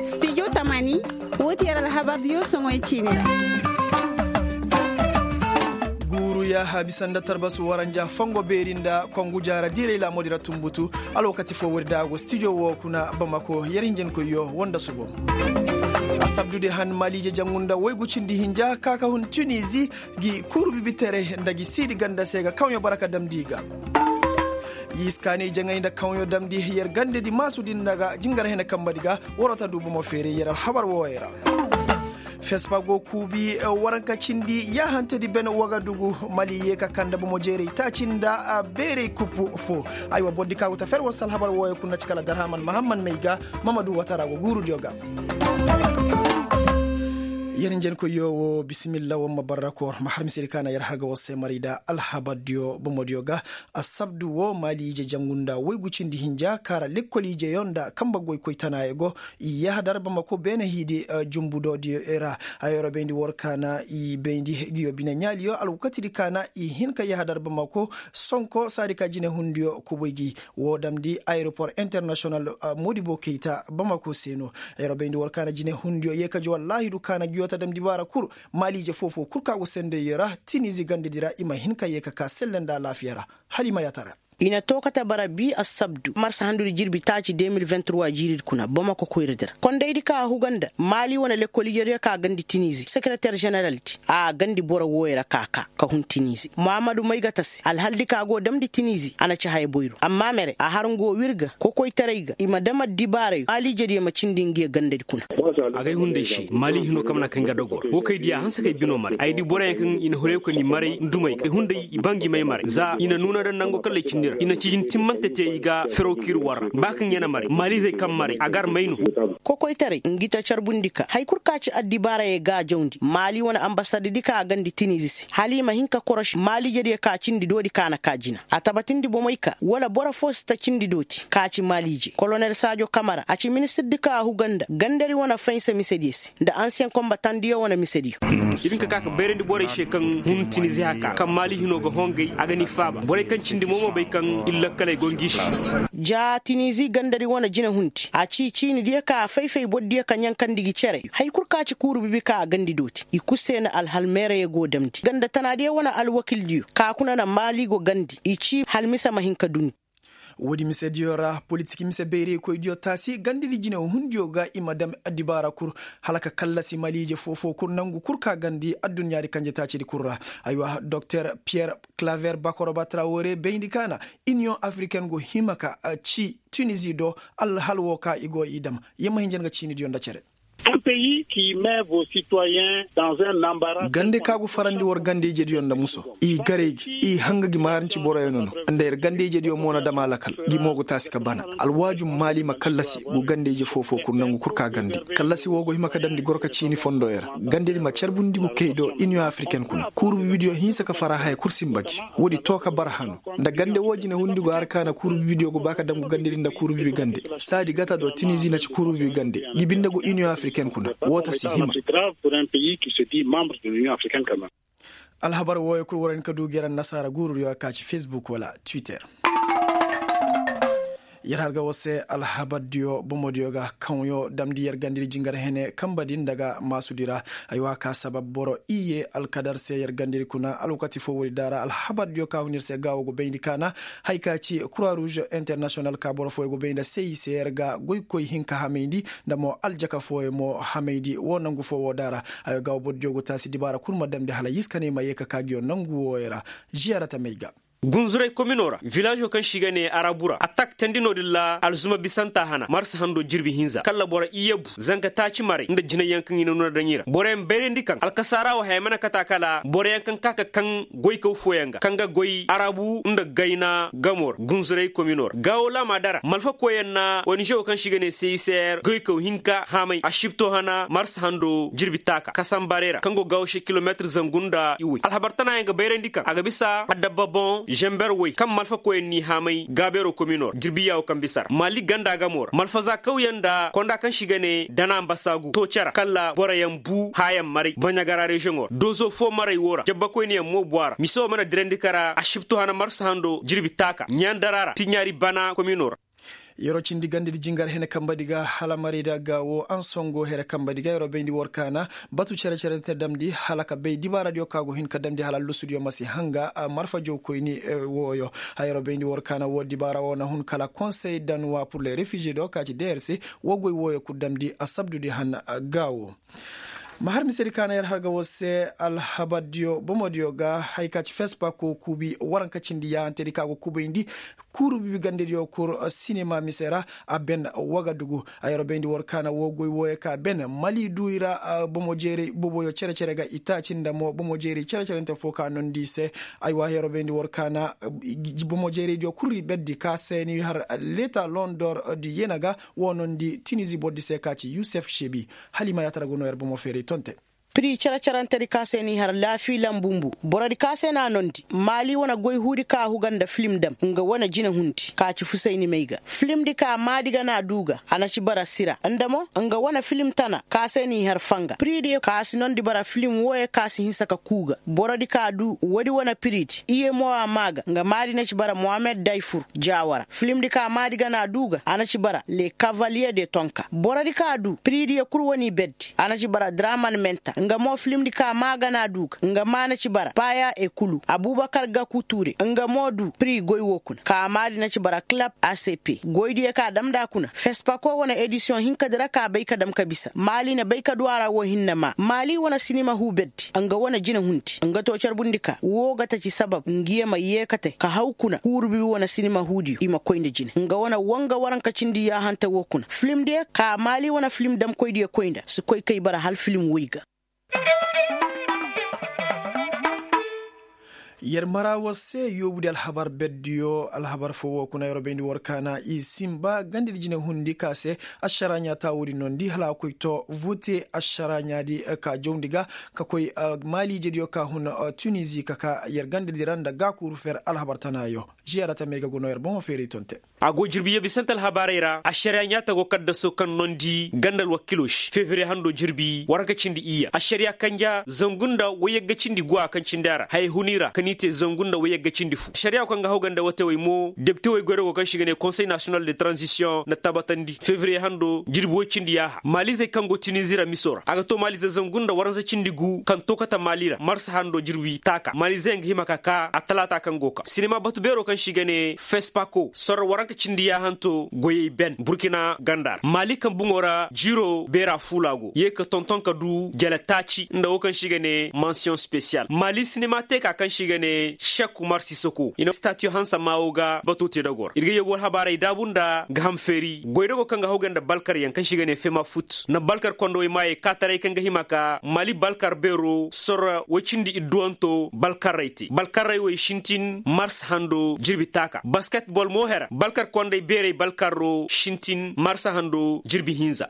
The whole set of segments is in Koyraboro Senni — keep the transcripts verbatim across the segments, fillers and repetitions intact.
Studio tamani, woo ti yer alhabar diyo soŋoy ciini ra. Guuru yaaha bisa nda tarbasu waranja fongo beeri nda kongu jaara diiray laamudi ra tumbutu. Alwakati foo woodi da a go studio woo kuna bamako yer hinjankoyyo woo nda subo. Asabdudi han maaliije jangu nda waygu cindi hinja ka ka hun tunizi, gi kuuru bibiteray nda gi siidi ganda se ga kawɲo bara ka damndi i ga. Yiskaanay jaŋay nda kawɲo damndi yer gandedi maasudi nda ga jingar hene kambadi ga. Waroo ta du bomo feeray yer alhabar wooyey ra. Fespa go kuubi waranka cindi yaahantedi ben wagadugu mali ye ka kande bomo jeeray taaci nda beeray kupu foo. Aywa bordi ka go ta fer war se alhabar wooyey kuna ci kala darhaman mahamman may ga. Mamadu watara go guurudiyo ga. Yer njenkoyyo woo bisimilla war ma barra koor ma har misedi ka na yer har ga war se maray da alhabardiyo bomodiyo ga. Asabdu woo maali ije jangu nda waygu cindi hinja ka ra lekkol ijeyo nda kamba goykoy tanaayo go. I yahadar bamako beene hiidi jumbudoodiyo ra. Hayo ra bayndi war ka na i bayndi ngiyo bine ɲaaliyo alwakatidi ka na i hin ka yahadar bamako. Sonko saadi ka jinehundiyo kubay gi. Woo damndi ayeropor internasiyonal modibo kayta bamako se no. Hayo ra bayndi war ka na jinehundiyo yee ka ji wallaahidu ka na ngiyo ta damndi baara kul. Maali ije foo-foo kul ka go sendey ra tinizi gandedi ra i ma hin ka yee ka kaa selle nda alaafiya ra. Hala i ma yaatara. I na too kate bara bii assabdu marsa handudi jirbi taaci de mil vingt trois jiiridi kuna bamako koyradi ra kondaydi ka a huga nda maali wane lekkol ijediyo ka gandi tinizi sekereter ženeraldi a gandi boro wooyo ra ka kaa ka hun tinizi muhammadu may ga ta se alhaldi ka go damndi tinizi a na ci haya boyro amma mere a har nga woo wir ga kokoytaray ga i ma dam addibaarayo maali ijediyo ma cindi ngiyo gandadi kuna. Agay hunday se maali hino kaŋ mana kaŋ ga dogor wo kay diya hanse kay bino maray ay di boroyaŋ kaŋ i na horoyo kani maray ndumay ga hunday i ba ngi may maray za i na nuuna daŋ nango kallay cindi ra i na cijin timmante te i ga fero kiiri war ra ba kaŋ ya na maray maalizey kaŋ maray a gar may no. Kokoytaray ngi ta carbundi ka hari kul ka ci addibaarayey ga a jawndi maali wane ambasaddi kaŋ a gandi tinizi se hala i ma hin ka koroši maaliijediyo ka cindi doodi ka na ka jina a tabatindi bomey ka wala boro foo si ta cindi dooti ka ci maaliije kolonel saajo kamara a ci ministirdi kaŋ a huga nda gandari wane faynsa misediyo se nda ansiyeŋ konbatandiyo wane misediyo. I bin ka ka ka bayrandi borey se kaŋ hun tinizi haka kaŋ maali hino ga hongay a ga ni faaba borey kaŋ cindi mo ma bay kaŋ ir lakkaley go ngi se. Ja tinizi gandari wane jinahundi a ci ciinidiyo ka a fay-fay bordiyo ka ɲankandi gi cere hari kul ka ci kuuru bibi ka a gandi dooti i kul se na alhal meerayo go damndi ganda tanaadiyo wane alwakildiyo ka kuna na maali go gandi i ci hala mise ma hin ka duni. Woodi misediyo ra politik mise bayraykoydiyo taasi gandadi jine hundiyo ga i ma dam addibaara kul hala ka kallasi maliije foo-foo kul nangu kul ka gandi adduɲɲaadi kanje taacidi kul ra. Aywa doktor piyer klaver bakoroba trawore bayndi kaana iniyoŋ afriken go hima ka ci tunizi do alhal woo ka i go i dam. Yamma hinja nga ciinidiyo nda cere. Gande ka go farandi war gande-ijediyo nda muso i garay gi i hanga gi maaranci boroyo nono nda yer gande-ijediyo mo na dam a lakal gi mo go taasi ka bana alwaaju maali ma kallasi go gande-ije foo-foo kul nangu kul ka gande kallasi woo go hima ka damndi goro ka ciini fondooyo ra gandedi ma carbundi go kay do iniyoŋ afriken kuna kuuru bibidiyo hinsa ka fara haya kul sinba gi woodi too ka bara hano nda gande woo jine hundi go har ka na kuuru bibidiyo go ba ka dam go gandedi nda kuuru bibi gande saadi gata do tinizi na ci kuuru bibi gande gi binde go iniyoŋ afriken kuna woo ta si hima. Alhabar wooyo kul war hin ka du ga yer annasaara guurudiyo ka ci fesbuk wala twitter. Yer har ga war se alhabardiyo bomodiyo ga kaŋyo damndi yer gandedi jingar hene kamba din daga maasudi ra. Ay wa ka sabab boro iyye alkadar se yer gandedi kuna alwakati foo woodi daara alhabardiyo ka hun yer se gaawo go bayndi kaana. Hay ka ci kura ruuz internasiyonal ka boro fooyo go bay nda se i se yer ga goykoy hinka hamayndi nda mo aljaka fooyo mo hamayndi woo nangu foo woo daara. Ay wa gaawo bordiyo go taasi dibaara kul ma damndi hala yiskanay ma yee ka kaa ngiyo nangu wooyo ra. Ziyaarata may ga. Gunzuray kominoo ra vilaažo kaŋ se i ga nee arabu ra atak teendi no-din ra alzuma bisanta hana marsa hando jirbi hinza kalla boro iyye bu zanka taaci maray nda jinayyaŋ kaŋ i na nuna daŋ i ra boroyaŋ bayrandi kaŋ alkasaara wo haya mana kata kala boroyaŋ kaŋ ka ka kaŋ goykaw fooyaŋ ga kaŋ ga goy arabu nda gayna gamo ra gunzuray kominoo ra gaawo laama dara malfa koyyaŋ na onizewo kaŋ se i ga nee se i se goykaw hinka haamay asibto hana marsa hando jirbi taaka kasambaray ra kaŋ go gaawo se kilomeetir zangu nda iway alhabar tanaayaŋ ga bayrandi kaŋ a ga bisa adabba boŋ. Zamber woy kaŋ malfakoyaŋ n'i haamay gaabeeroo kominoo ra jirbi yaawo kaŋ bisa ra maali ganda gamo ra malfaza kawyaŋ nda konda kaŋ se i ga ne dana mbasaagu too cere kala boroyaŋ buu haayaŋ maray baɲagara reziyoŋo ra doozo foo maray woo ra jabbakoyniyaŋ mo bu a ra mise woo mana dirandi kara asibtu hana marsa hando jirbi taaka ɲaandara ra tiɲaari bana kominoo ra. Yeroo cindi gandadi jingar hene kambadi ga hala marayda ga woo ansongo here kambadi ga yeroo bayndi war kaana batu cere-cerente damndi hala ka bay dibaaradiyo kaŋ a go hin ka damndi hala allusudiyo ma si hanga marfajow koyni wooyo. Haya yeroo bayndi war kaana woo dibaara woo na hun kala konsey danuwa pur le refiziye do ka ci drc woo goy wooyo kul damndi asabdudi han ga woo. Ma har misedi ka na yer har ga war se alhabardiyo bomodiyo ga haya ka ci fespako kuubi waranka cindi yaahantedi ka go kuubayndi kuuru bibi gandediyo kul sinema mise ra. A ben wagadugu a yer bayndi war ka na woo goy wooyo ka ben mali duu i ra bomo jeeray boboyo cere-cere ga itaaci nda mo bomo jeeray cere-cerente foo ka nondi i se. Aywa yer bayndi war ka na bomo jeeraydiyo kul i berdi ka se ni har leeta londor di yena ga woo nondi tinizi bordi se ka ci yusef sebi. Hala i ma yaatara go noo yer bomo feeray tonte. Piri cere-cerentedi ka se n'i har laafi lambumbu borodi ka se n'a nondi maali wane goy huudi ka a huga nda filim dam nga wane jinehundi ka ci fusay ni may ga filimdi ka maadi ga n'a duu ga a na ci bara sira nda mo nga wane filim tana ka se n'i har fanga piridiyo ka si nondi bara filim wooyo ka si hinsa ka kuu ga borodi ka duu woodi wane piridi iye mo a maa ga nga maadi na ci bara mohamed dayfur jaawara filimdi ka maadi ga n'a duu ga a na ci bara le kavaliye de tonka borodi ka duu piridiyo kul wane i berdi a na ci bara draman menta nga mo filimdi ka maa ga na a duu ga nga maa na ci bara paya ekulu abubakar gaku ture nga mo duu piri goy woo kuna ka maadi na ci bara kalab acp goydiyo ka a dam nd'a kuna fespako wane edisiyoŋ hinkadi ra ka a bay ka dam ka bisa maali na bay ka duu a ra woo hinne maa maali wane sinima huu berdi nga wane jinehundi nga too carbundi ka woo ga ta ci sabab ngiyo ma yeekate ka haw kuna kuuru bibi wane sinima huudiyo i ma koy nda jine nga wane woo nga waranka cindi yaahante woo kuna filimdiyo ka maali wane filim damkoydiyo koy nda si koy kay bara hala filim woy ga. Yer mara war se yoobudi alhabar berdiyo alhabar foo woo kuna yer bayndi war kaana i sinba gandadi jinehundi ka se ašaraaɲaa taa woodi noondi hala a koy too vote ašaraaɲaadi ka jawndi ga ka koy maaliijediyo ka hun tunizi ka ka yer gandadi ra nda gaakuuru fer alhabar tanaayo. Ziyaara tamey ga go noo yer bomo feeray tonte. A go jirbi yee bisante alhabaarey ra ašariyaa ɲaatago kaddaso kaŋ noondi ganda alwakiiloo se fevriye handoo jirbi waranka cindi iyya ašariyaa kanja zangu nda wayyagga cindi guwa kaŋ cindi a ra hayey huni ra kaŋ i te zangu nda wayyagga cindi fu ašariyaa kaŋ ga haw ganda watewey mo depitewey goyra go kaŋ se i ga ne konsey nasiyonal de taranzisiyoŋ na tabatandi fevriye handoo jirbi woy cindi yaaha maaliizey kaŋ go tinizi ra miso ra a ga to maaliize zangu nda waranza cindi gu kaŋ to kate maali ra marsa handoo jirbi taaka maaliize yaŋ ga hima ka ka a talaata kaŋ go ka sinima batu beeroo kaŋ se i ga ne fespako sorro waranka cindi yaahanto goyey ben burkina ganda ra maali kaŋ buŋo ra jiiroo beera fuula go ye ka tonton ka du jele taaci nda wo kaŋ se i ga ne mansiyoŋ spesiyal maali sinima teeka kaŋ se i ga ne sek umar sisoko i na statiyo hanse maawo ga batoo te dagoo ra ir ga yee go alhabaarey daabu nda gaham feeri goydagoo kaŋ ga haw ga nda balkaryaŋ kaŋ se i ga ne fema fut nda balkar kondowey maayey kaataray kaŋ ga hima ka maali balkar beeroo sorro woy cindi idduwanto balkarrey te balkarrey wey sintin mars hando jirbi taaka basketbol mo hera balkar kondey beerey balkarro sintin mars hando jirbi hinza.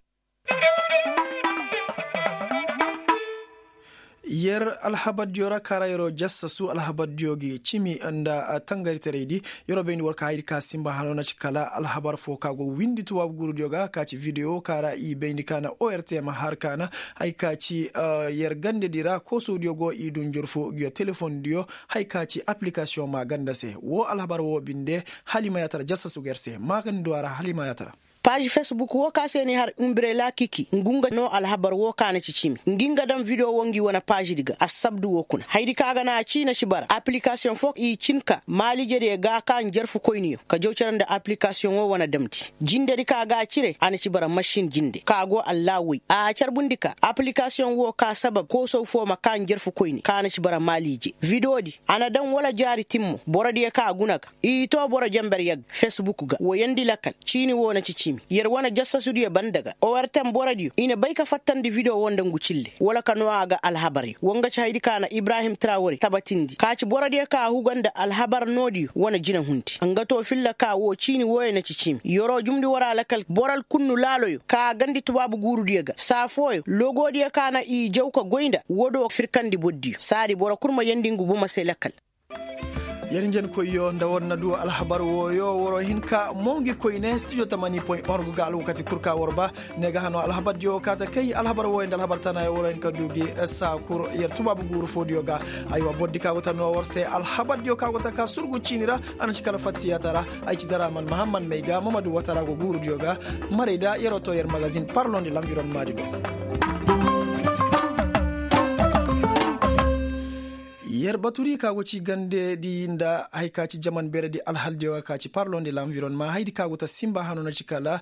Yer alhabardiyo ra kaara yeroo jassasu alhabardiyo gi cimi nda tangariteraydi yeroo bayndi war ka haydi ka sinba hano na ci kala alhabar foo ka go windi tubaabu guurudiyo ga ka ci videwo kaara i bayndi ka na ortm har ka na hay ka ci yer gandedi ra koosodiyo go i du njorfo nguyo telefondiyo hay ka ci aplikasiyoŋ maa ganda se woo alhabar woo binde hala i ma yaatara jassasu ga yer se maagandi du a ra hala i ma yaatara. Paazi fesbuk woo ka se ni har umbrela kiki ngu nga noo alhabar woo ka na ci cimi ngi nga daŋ videwo woo ngi wane paazidi ga assabdu woo kuna hayadi ka ga na a ci na ci bara aplikasiyoŋ foo i cin ka maaliijediyo ga ka njarfu koyniyo ka jaw cere nda aplikasiyoŋo wane damndi jindedi ka ga a cire a na ci bara masin jinde ka go allaahu way a carbundi ka aplikasiyoŋ woo ka sabab koosow foo ma ka njarfu koyni ka na ci bara maaliije videodi a na daŋ wala jaari timmo borodiyo ka a guna ga i too boro jenber yagga fesbuk ga woyandi lakal ciini woo na ci cimi yer wane jassasudiyo banda ga ortm borodiyo i na bay ka fattandi video woo nda ngu cille wala ka noo a ga alhabaryo woo nga ci hayadi ka na ibrahim trawore tabatindi ka ci borodiyo ka a huga nda alhabar noodiyo wane jinehundi nga too filla ka woo ciini wooyo na ci cimi yeroo jumndi war a lakal boral kunnu laaloyo ka a gandi tubaabu guurudiyo ga saa fooyo logoodiyo ka na i jaw ka goy nda woodoo firkandi bordiyo saadi boro kul ma yeendi ngu bomo se lakal. Yer njenkoyyo nda war na du alhabar wooyo waroo hin ka mongi koyne studio tamani point org ga alwakati kul ka war ba. Ne ga hano alhabardiyo kaa ta kay alhabar wooyo nda alhabar tanayo waroo hin ka du gi saa kul yer tubaabu guuru foodiyo ga. Aywa bordi ka go ta noo war se alhabardiyo ka go ta ka surgu ciini ra. A na ci kala fattiyaata ra. Ay ci dara man mahamman may ga mamadu watara go guurudiyo ga. Maray da yeroo too yer magazin parlon de lanvironmadi do. Yer baturi ka go ci gande di nda hay ka ci jaman beeredi alhaldiyo ga ka ci parlon de lanvironma haydi ka go ta simba hano na ci kala.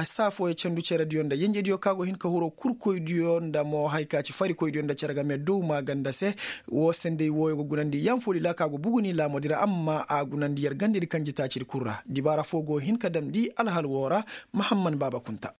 Saa fooyo candu cerediyo nda yenjediyo ka go hin ka huro kurkoydiyo nda mo hay ka ci farikoydiyo nda cere game dow maaganda se. Woo senday wooyo go gunandi yanfolila ka go buguni laamodi ra amma a gunandi yer gandedi kanjitaacidi kul ra dibaara foo go hin ka damndi alhal woo ra. Mahamman baaba kunta.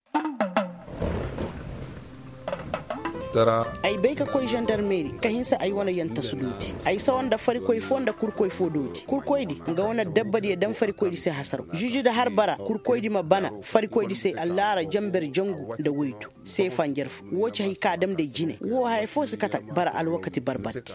Ay bay ka koy zandarmeeri ka hinsa ay wane yantasu dooti. Ay sawa nda farikoy foo nda kurkoy foo dooti kurkoydi nga wane dabbadiyo dam farikoydi se hasaraw žužu da har bara kurkoydi ma bana farikoydi se allaara janber jangu nda woydu. Seefa njarfu woo ci hay ka damndi ay jine woo haya foo si kate. Bara alwakati barbardi.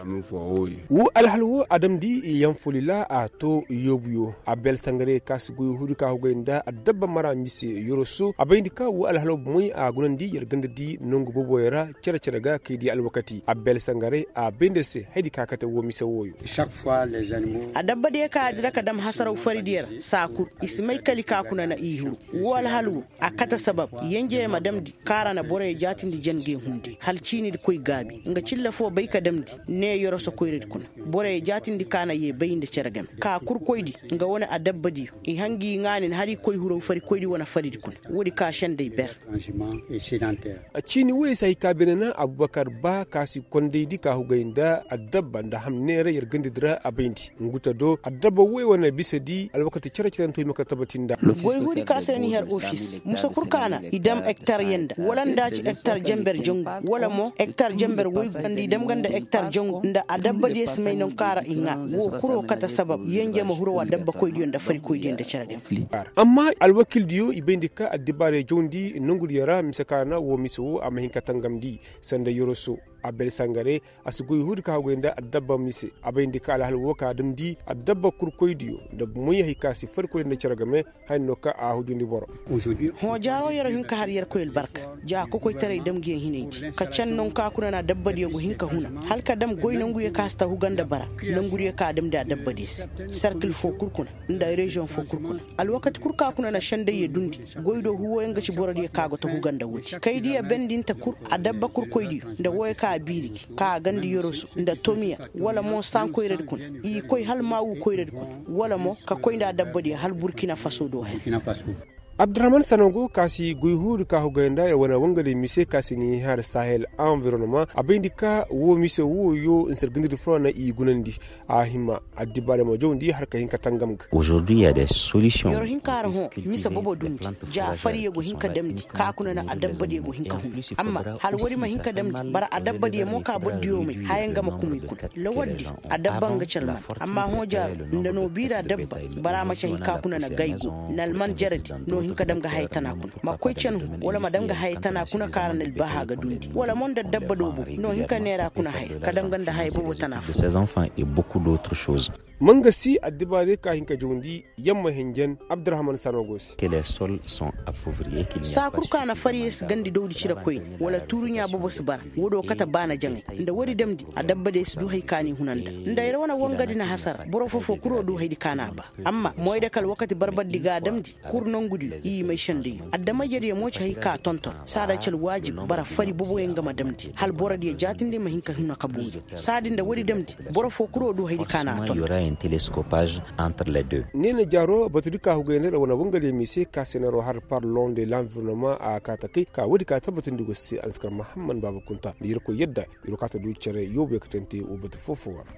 Woo alhal woo a damndi yanfolila a too yoobuyo a bel sangare ka si goy huudi ka hugay nda addabba mara mise yoroso a bayndi ka woo alhal woo bomey a gunandi yer gandadi nongu booboyo ra. Cere-cere ga kay di alwakati a bel sangare a bayndi se haydi ka kate woo mise wooyo. Adabbadiyo ka a dira ka dam hasaraw faridiyo ra saa kul i si may kali ka kuna na i huru. Woo alhal woo a kate sabab yenjey ma damndi kaŋ a ra na boroyo jaatindi jange hunde hala ciinidi koy gaabi nga cilla foo bay ka damndi. Ne yoroso koyradi kuna boroyo jaatindi ka na yee bay nda cere game ka kurkoydi nga wane adabbadiyo i hangi i ŋaanin hala i koy huraw farikoydi wane faridi kuna. Woodi ka sendey ber. Ciini woyey se hay ka beene na abubakar ba ka si kondaydi ka hugay nda adabba nda hamneera yer gandadi ra a bayndi ngu ta do adabba woy wane bisedi alwakati cere-cere nda to i ma ka tabati nda. Goy huudi ka se ni har ofis musa kul ka na i dam ektar yaŋ nda wala nda ci ektar janber jangu wala mo ektar janber woy nda i dam ga nda ektar jangu nda adabbadiyo si may nangu ka ra i ŋaa woo kul woo kate sabab yenje ma huru wa dabbakoydiyo nda farikoydiyo nda cere game. Amma alwakildiyo i bayndi ka addibaarey jawndi nongudiyo ra mise ka na woo mise woo a ma hin ka tangamndi sanda yoroso a bel sangare. A si goy huudi ka hugay nda adabba mise a bayndi ka alhal woo ka damndi adabba kurkoydiyo nda moy hay ka si farikoydiyo nda cere game. Haya no ka a hujundi boro. Hõ jaaro yer hin ka har yerkoy albarka ja kokoytaray damndiyaŋ hinaydi ka can nangu ka kuna na dabbadiyo go hin ka huna hala ka dam goy nanguyo ka si ta huga nda bara nangudiyo ka damndi a dabbadiyo se. Serkil foo kul kuna nda reziyoŋ foo kul kuna alwakati kul ka kuna na sendayyo dundi. Goy do huwoyaŋ ga ci borodiyo ka go ta huga nda woodi kaydiyo bendinta kul adabba kurkoydiyo nda wooyo ka a biiri gi ka a gandi yoroso nda tomiya wala mo sankoyradi kuna i koy hala maawu koyradi kuna wala mo ka koy nda a dabbadiyo hala burkina faso do haya. Abdurahman sanogo ka si goy huuri ka hugay nda yer wane wangadiyo mise ka si ni har sahel anvironoma a bayndi ka woo mise wooyo nsergindidi furo na i gunandi. A hima addibaarey ma jawndi har ka hin ka tangam ga. Yer hin ka har hõ mise bobo dundi ja fariyo go hin ka damndi ka kuna na adabbadiyo go hin ka hun amma hala woodi ma hin ka damndi bara adabbadiyo mo ka bordiyo may haya nga ma kumiy kuna lawardi adabba nga calman. Amma hõ jaaro nda no biira dabba bara ma ci hay ka kuna na gaygo na alman jaradi no hin ka dam ga haya tana kuna ma koy canhu wala ma dam ga haya tana kuna kaara na albaaha ga dundi wala mo nda dabba do bobo no hin ka neera kuna haya ka dam ga nda haya bobo tana fo. Mangasi addibaarey ka hin ka jawndi yamma hinjan abdurahman sanogo se. Saa kul ka na fariyey si gandi dawdi cire koyne wala tuuruɲaa bobo si bara. Woo do kate baana jaŋay nda woodi damndi adabbadey si du hay ka n'i huna nda nda yer wane wangadi na hasara boro foo-foo kul woo du haydi ka n'a ba. Amma moyda kala wakati barbardi ga a damndi kul nongudiyo i may sendayyo adama-ijediyo mo ci hay ka tonton saada ci alwaajib bara fari boboyaŋ ga ma damndi hala borodiyo jaatindi ma hin ka huna ka boori. Saadi nda woodi damndi boro foo kul woo du haydi ka n'a tonton. Ne na jaaro batudi ka hugay nda yer wane wangadiyo mise ka se na yer wo har parlon de lanvironoma a kaa ta kay ka woodi ka tabbatindi go se a na si kar mahamman baaba kunta nda yerkoy yadda yer wo kaa ta du cere yoobu yaŋ ka tante woo batu foo-foo wara.